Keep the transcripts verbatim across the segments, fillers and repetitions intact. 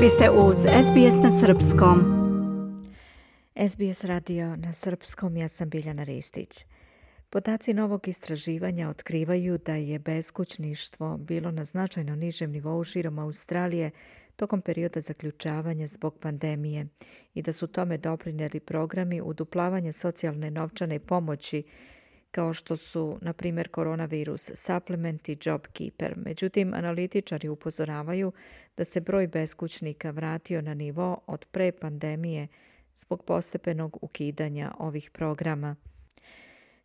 Vi ste uz S B S na srpskom. S B S radio na srpskom, ja sam Biljana Ristić. Podaci novog istraživanja otkrivaju da je beskućništvo bilo na značajno nižem nivou širom Australije tokom perioda zaključavanja zbog pandemije i da su tome doprinijeli programi uduplavanja socijalne novčane pomoći kao što su, na primjer, koronavirus supplement i JobKeeper. Međutim, analitičari upozoravaju da se broj beskućnika vratio na nivo od pre pandemije zbog postepenog ukidanja ovih programa.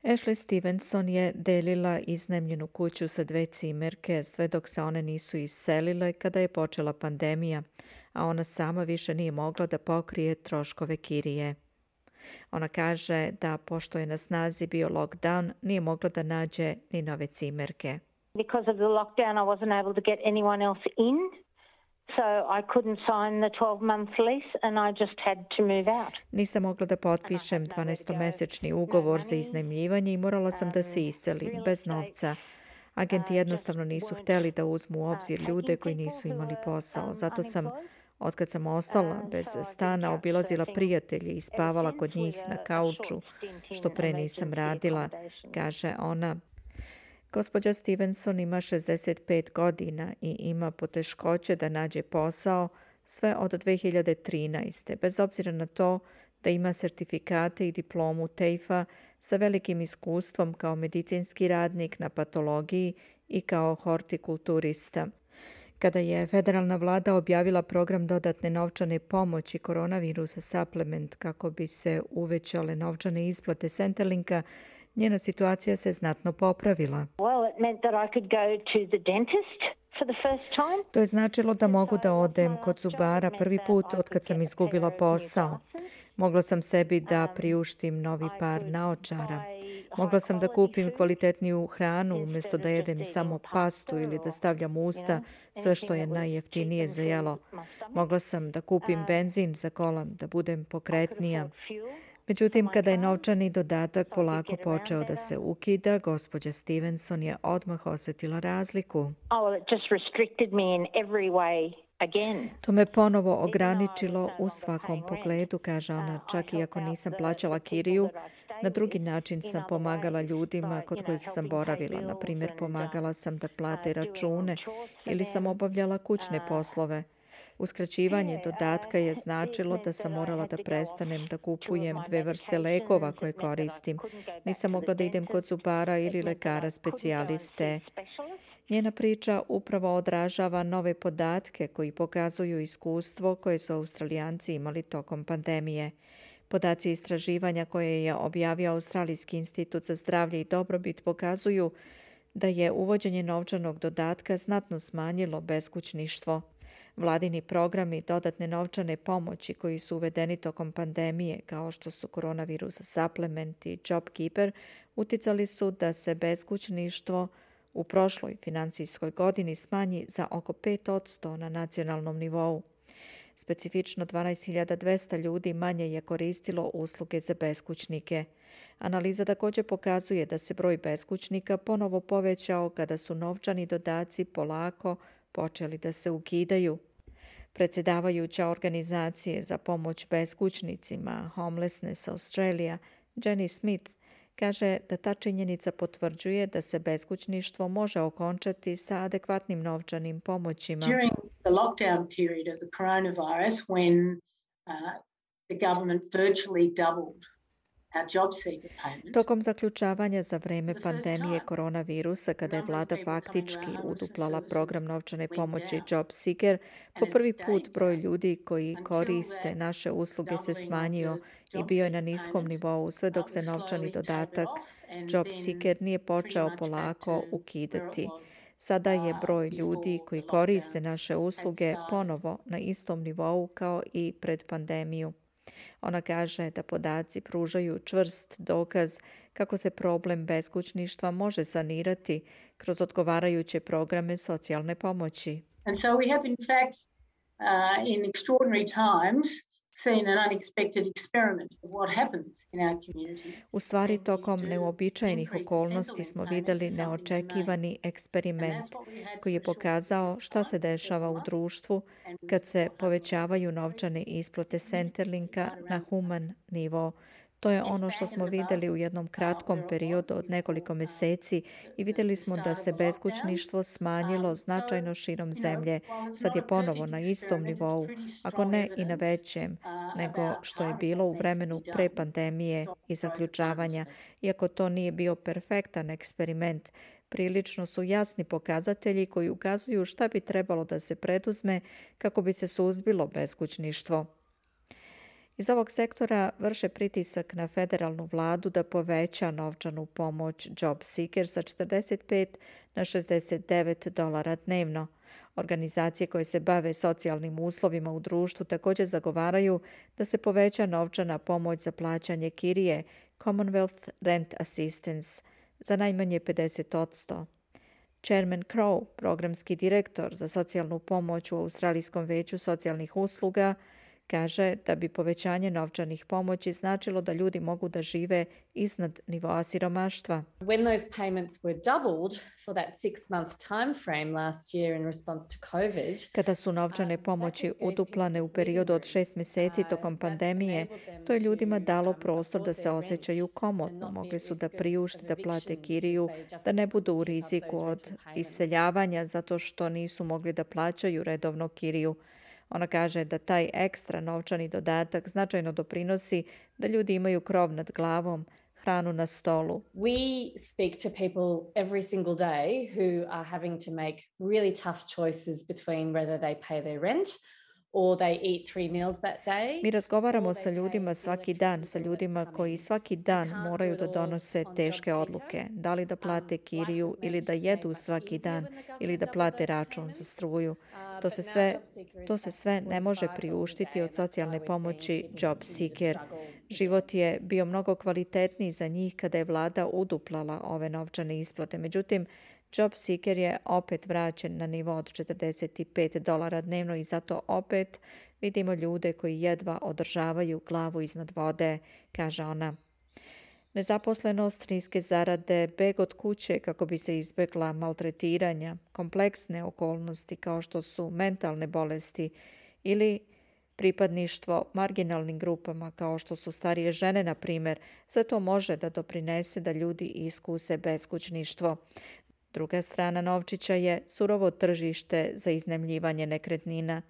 Ashley Stevenson je delila iznajmljenu kuću sa dve cimerke sve dok se one nisu iselile kada je počela pandemija, a ona sama više nije mogla da pokrije troškove kirije. Ona kaže da, pošto je na snazi bio lockdown, nije mogla da nađe ni nove cimerke. Because of the lockdown, I wasn't able to get anyone else in, so I couldn't sign the twelve-month lease and I just had to move out. Nisam mogla da potpišem dvanaestomesečni ugovor za iznajmljivanje i morala sam da se iselim bez novca. Agenti jednostavno nisu hteli da uzmu u obzir ljude koji nisu imali posao. Zato sam, otkad sam ostala bez stana, obilazila prijatelje i spavala kod njih na kauču, što pre nisam radila, kaže ona. Gospođa Stevenson ima šezdeset pet godina i ima poteškoće da nađe posao sve od dve hiljade trinaeste. Bez obzira na to da ima sertifikate i diplomu tejfa sa velikim iskustvom kao medicinski radnik na patologiji i kao hortikulturista. Kada je federalna vlada objavila program dodatne novčane pomoći koronavirus supplement kako bi se uvećale novčane isplate Centrelinka, njena situacija se znatno popravila. Well, it meant that I could go to the dentist for the first time. To je značilo da mogu da odem kod zubara prvi put od kad sam izgubila posao. Mogla sam sebi da priuštim novi par naočara. Mogla sam da kupim kvalitetniju hranu umjesto da jedem samo pastu ili da stavljam u usta sve što je najjeftinije za jelo. Mogla sam da kupim benzin za kola, da budem pokretnija. Međutim, kada je novčani dodatak polako počeo da se ukida, gospođa Stevenson je odmah osjetila razliku. To me ponovo ograničilo u svakom pogledu, kaže ona, čak i ako nisam plaćala kiriju. Na drugi način sam pomagala ljudima kod kojih sam boravila. Na primjer, pomagala sam da plate račune ili sam obavljala kućne poslove. Uskraćivanje dodatka je značilo da sam morala da prestanem da kupujem dve vrste lekova koje koristim. Nisam mogla da idem kod zubara ili lekara specijaliste. Njena priča upravo odražava nove podatke koji pokazuju iskustvo koje su Australijanci imali tokom pandemije. Podaci istraživanja koje je objavio Australijski institut za zdravlje i dobrobit pokazuju da je uvođenje novčanog dodatka znatno smanjilo beskućništvo. Vladini programi dodatne novčane pomoći koji su uvedeni tokom pandemije, kao što su koronavirus supplement i JobKeeper, uticali su da se beskućništvo u prošloj financijskoj godini smanji za oko pet posto na nacionalnom nivou. Specifično dvanaest hiljada dvesta ljudi manje je koristilo usluge za beskućnike. Analiza također pokazuje da se broj beskućnika ponovo povećao kada su novčani dodaci polako počeli da se ukidaju. Predsjedavajuća organizacije za pomoć beskućnicima Homelessness Australia, Jenny Smith, kaže da ta činjenica potvrđuje da se beskućništvo može okončati sa adekvatnim novčanim pomoćima. During the lockdown period of the coronavirus, when uh, the government virtually doubled our job seeker payments. Tokom zaključavanja za vreme pandemije koronavirusa, kada je vlada faktički uduplala program novčane pomoći Job Seeker, po prvi put broj ljudi koji koriste naše usluge se smanjio i bio je na niskom nivou sve dok se novčani dodatak Job Seeker nije počeo polako ukidati. Sada je broj ljudi koji koriste naše usluge ponovo na istom nivou kao i pred pandemiju. Ona kaže da podaci pružaju čvrst dokaz kako se problem beskućništva može sanirati kroz odgovarajuće programe socijalne pomoći. And so we have in fact uh, in extraordinary times U stvari, tokom neuobičajenih okolnosti smo vidjeli neočekivani eksperiment koji je pokazao šta se dešava u društvu kad se povećavaju novčane isplate Centrelinka na human nivo. To je ono što smo vidjeli u jednom kratkom periodu od nekoliko mjeseci i vidjeli smo da se beskućništvo smanjilo značajno širom zemlje. Sad je ponovo na istom nivou, ako ne i na većem, nego što je bilo u vremenu pre pandemije i zaključavanja. Iako to nije bio perfektan eksperiment, prilično su jasni pokazatelji koji ukazuju šta bi trebalo da se preduzme kako bi se suzbilo beskućništvo. Iz ovog sektora vrše pritisak na federalnu vladu da poveća novčanu pomoć Job Seeker sa četrdeset pet na šezdeset devet dolara dnevno. Organizacije koje se bave socijalnim uslovima u društvu također zagovaraju da se poveća novčana pomoć za plaćanje kirije Commonwealth Rent Assistance za najmanje pedeset odsto. Chairman Crow, programski direktor za socijalnu pomoć u Australijskom veću socijalnih usluga, kaže da bi povećanje novčanih pomoći značilo da ljudi mogu da žive iznad nivoa siromaštva. When those payments were doubled for that six-month time frame last year in response to COVID, kada su novčane pomoći uduplane u periodu od šest mjeseci tokom pandemije, to je ljudima dalo prostor da se osjećaju komotno. Mogli su da priušte da plate kiriju, da ne budu u riziku od iseljavanja zato što nisu mogli da plaćaju redovno kiriju. Ona kaže da taj ekstra novčani dodatak značajno doprinosi da ljudi imaju krov nad glavom, hranu na stolu. We speak to people every single day who are having to make really tough choices between whether they pay their rent or they eat three meals that day. Mi razgovaramo sa ljudima svaki dan, sa ljudima koji svaki dan moraju da donose teške odluke. Da li da plate kiriju ili da jedu svaki dan ili da plate račun za struju. To se sve, to se sve ne može priuštiti od socijalne pomoći Job Seeker. Život je bio mnogo kvalitetniji za njih kada je vlada uduplala ove novčane isplate. Međutim, Job Seeker je opet vraćen na nivo od četrdeset pet dolara dnevno i zato opet vidimo ljude koji jedva održavaju glavu iznad vode, kaže ona. Nezaposlenost, niske zarade, beg od kuće kako bi se izbjegla maltretiranja, kompleksne okolnosti kao što su mentalne bolesti ili pripadništvo marginalnim grupama kao što su starije žene, na primjer, sve to može da doprinese da ljudi iskuse beskućništvo. Druga strana novčića je surovo tržište za iznajmljivanje nekretnina.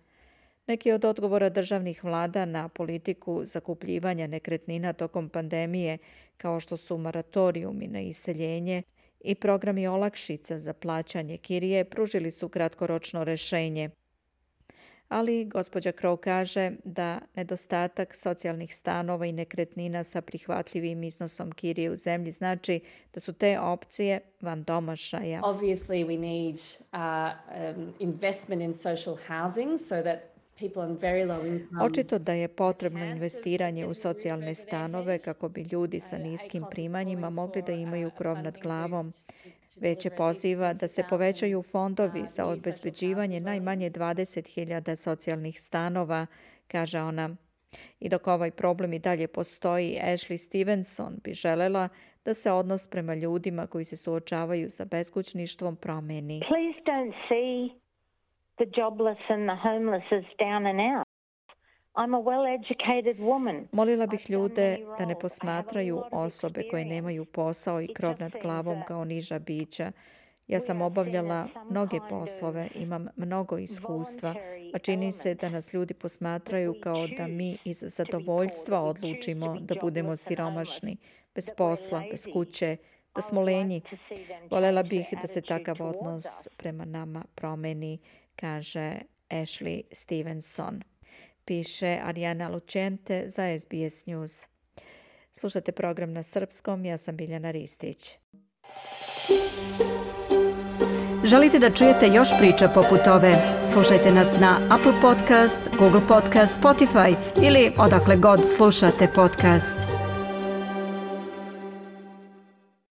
Neki od odgovora državnih vlada na politiku zakupljivanja nekretnina tokom pandemije, kao što su moratorijumi na iseljenje i programi olakšica za plaćanje kirije, pružili su kratkoročno rješenje. Ali gospođa Crow kaže da nedostatak socijalnih stanova i nekretnina sa prihvatljivim iznosom kirije u zemlji znači da su te opcije van domašaja. Obviously we need uh, um, investment in social housing so that Očito da je potrebno investiranje u socijalne stanove kako bi ljudi sa niskim primanjima mogli da imaju krov nad glavom. Već je poziva da se povećaju fondovi za obezbeđivanje najmanje dvadeset hiljada socijalnih stanova, kaže ona. I dok ovaj problem i dalje postoji, Ashley Stevenson bi želela da se odnos prema ljudima koji se suočavaju sa beskućništvom promeni. Please don't see the jobless and the homeless as down and out. I'm a well-educated woman. Molila bih ljude da ne posmatraju osobe koje nemaju posao i krov nad glavom kao niža bića. Ja sam obavljala mnoge poslove, imam mnogo iskustva, a čini se da nas ljudi posmatraju kao da mi iz zadovoljstva odlučimo da budemo siromašni, bez posla, bez kuće, da smo lenji. Voljela bih da se takav odnos prema nama promeni, kaže Ashley Stevenson. Piše Arijana Lučente za S B S News. Slušate program na srpskom, ja sam Biljana Ristić. Želite da čujete još priča poput ove? Slušajte nas na Apple Podcast, Google Podcast, Spotify ili odakle god slušate podcast.